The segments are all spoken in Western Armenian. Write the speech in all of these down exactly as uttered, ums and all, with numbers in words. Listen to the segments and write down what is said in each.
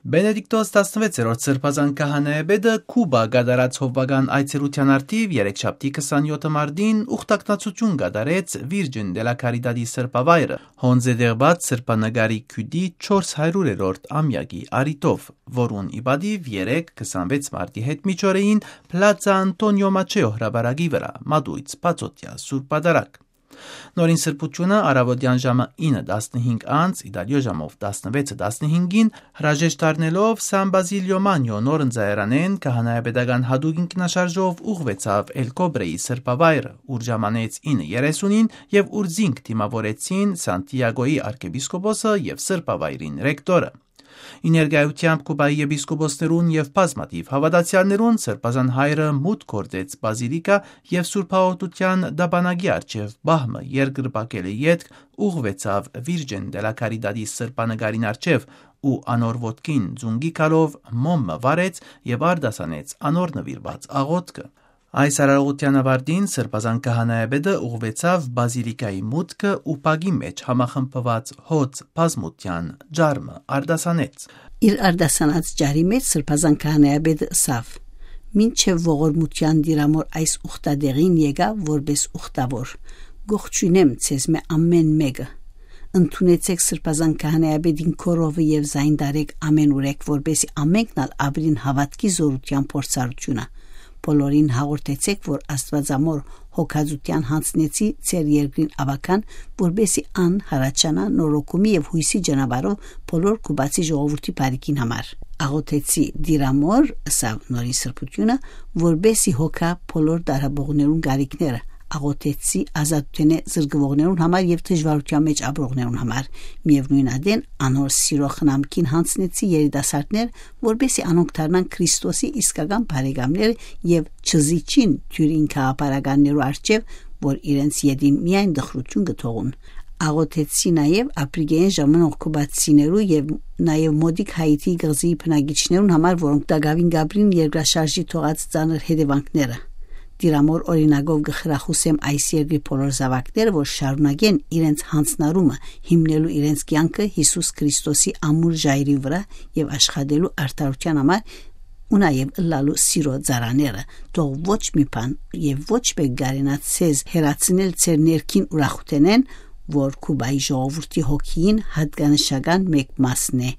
Բենեդիկտոս տասնվեցերորդ Սրբազան Քահանայապետը Քուբա կատարած հովուական այցելութեան առթիւ երեքշաբթի քսանեօթը մարտին ուխտակնացութիւն կատարեց Virgen de la Caridad-ի սրբավայրը, հոնձեդեղուած սրբանկարի քիւտի չորս հարիւրերորդ ամեակի առիթով, որուն ի պատիւ երեկ քսանվեց մարտի հետ միջօրեին Պլացա Անտոնիո Մաչեո հրապարակի վրայ մատոյց բացօթեայ սուրբ պատարագ։ Նորին սրբութիւնը առաւօտեան ժամը ինը տասնհինգ անց, Իտալիոյ ժամով տասնվեցը տասնհինգին, հրաժեշտ առնելով Սան Բազիլիո Մանյո նոր ընծայարանէն, քահանայապետական յատուկ ինքնաշարժով ուղղուեցաւ Էլ Կոբրեի սրբավայրը, ուր ժամանեց ինը երեսունին եւ ուր զինք դիմաւորեցին Սանտիագոյի արքեպիսկոպոսը եւ սրբավայրին ռեկտորը։ Ի ներկայութեամբ Քուբայի եպիսկոպոսներուն եւ բազմաթիւ հաւատացեալներուն Սրբազան Հայրը մուտք գործեց բազիլիկա եւ Սուրբ Հաղորդութեան տապանակի առջեւ պահ մը երկրպագելէ ետք ուղղուեցաւ Virgen de la Caridad-ի սրբանկարին առջեւ ու անոր ոտքին ծունկի գալով մոմ մը վառեց եւ արտասանեց անոր նուիրուած աղօթքը։ Այս արարողութեան աւարտին Սրբազան Քահանայապետը ուղղուեցաւ բազիլիկայի մուտքը ու բակի մէջ համախմբուած հոծ բազմութեան ջարը արտասանեց։ Իր արտասանած ջարի մէջ Սրբազան Քահանայապետը ըսաւ. «Մինչեւ ողորմութեան դիրամոր այս ուխտատեղին եկաւ որպէս ուխտաւոր։ Կողջունեմ ձեզմէ ամէն մէկը։ Ընդունեցէք Սրբազան Քահանայապետին քորովը եւ զայն տարէք ամէն ուրեք, որպէսզի ամէնքն ալ ապրին հաւատքի զօրութեան փորձառութիւնը։ Բոլորին հաղորդեցէք, որ Աստուածամոր հոգածութեան յանձնեցի ձեր երկրին աւագան, որպէսզի ան հառաչանայ նորոգումի եւ յոյսի ճանապարհով բոլոր Քուբացի ժողովուրդի բարիքին համար։ Աղօթեցի դիրամոր», ըսաւ նորին սրբութիւնը, «որպէսզի հոգայ բոլոր տառապողներուն կարիքները։ Աղօթեցի ազատութենէ զրկուողներուն համար եւ դժուարութեան մէջ ապրողներուն համար։ Միեւնոյն ատեն անոր սիրո խնամքին յանձնեցի երիտասարդներ, որպէսզի անոնք դառնան Քրիստոսի իսկական բարեկամներ եւ չզիջին դիւրին գաղափարականներու առջեւ, որ իրենց ետին միայն տխրութիւն կը թողուն։ Աղօթեցի նաեւ Ափրիկայէն ժամանող քուբացիներու եւ նաեւ մօտիկ Հայիթի կղզիի բնակիչներուն համար, որոնք տակաւին կապրին երկրաշարժի թողած ծանր հետեւանքները։ Դիրամոր օրինակով կը խրախուսեմ այս երկրի բոլոր զաւակները, որ շարունակեն իրենց յանձնառումը, հիմնելու իրենց կեանքը Յիսուս Քրիստոսի ամուր ժայռի վրայ եւ աշխատելու արդարութեան համար ու նաեւ ըլլալու սիրո ծառաները։ Թող ոչ մի բան եւ ոչ մէկ կարենայ ձեզ հեռացնել ձեր ներքին ուրախութենէն, որ Քուբայի ժողովուրդի հոգիին յատկանշական մէկ մասն է։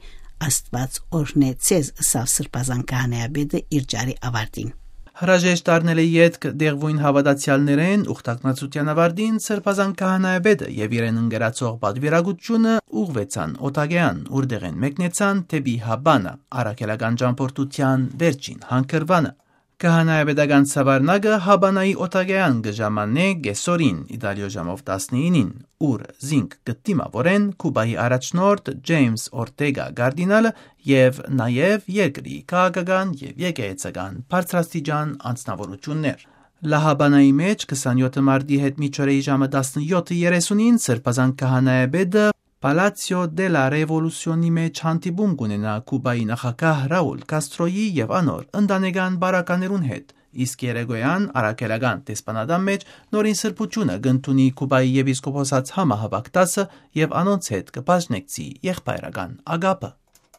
Աստուած օրհնէ ձեզ», ըսաւ Սրբազան Քահանայապետը իր ջարի աւարտին։ Հրաժեշտ առնելէ ետք դեղւոյն հաւատացեալներէն ուխտակնացութեան աւարտին Սրբազան Քահանայապետը եւ իրեն ընկերացող պատուիրակութիւնը ուղղուեցան Օթագեան, ուր տեղէն մեկնեցան դէպի Հաբանա, առաքելական ճամբորդութեան վերջին հանգրուանը։ Քահանայապետական սաւառնակը Հաբանայի Օթագեան կը ժամանէ կեսօրին, Իտալիոյ ժամով տասնինին, ուր զինք կը դիմաւորեն Քուբայի առաջնորդ Ջեյմս Օրտեգա կարդինալը եւ նաեւ երկրի քաղաքական եւ եկեղեցական բարձրաստիճան անձնաւորութիւններ։ Լահաբանայի մէջ քսանեօթ մարտի հետ միջօրեի ժամը տասնեօթը երեսունին Սրբազան Քահանայապետը Պալացիո դե լա Ռեվոլուսիոնի մէջ հանդիպում կունենայ Քուբայի նախագահ Ռաուլ Կաստրոյի եւ անոր ընտանեկան բարականերուն հետ, իսկ երեկոյեան առաքելական դեսպանատան մէջ նորին սրբութիւնը կ'ընդունի Քուբայի եպիսկոպոսաց համահաւաք դասը եւ անոնց հետ կը բաժնեկցի եղբայրական ագապը։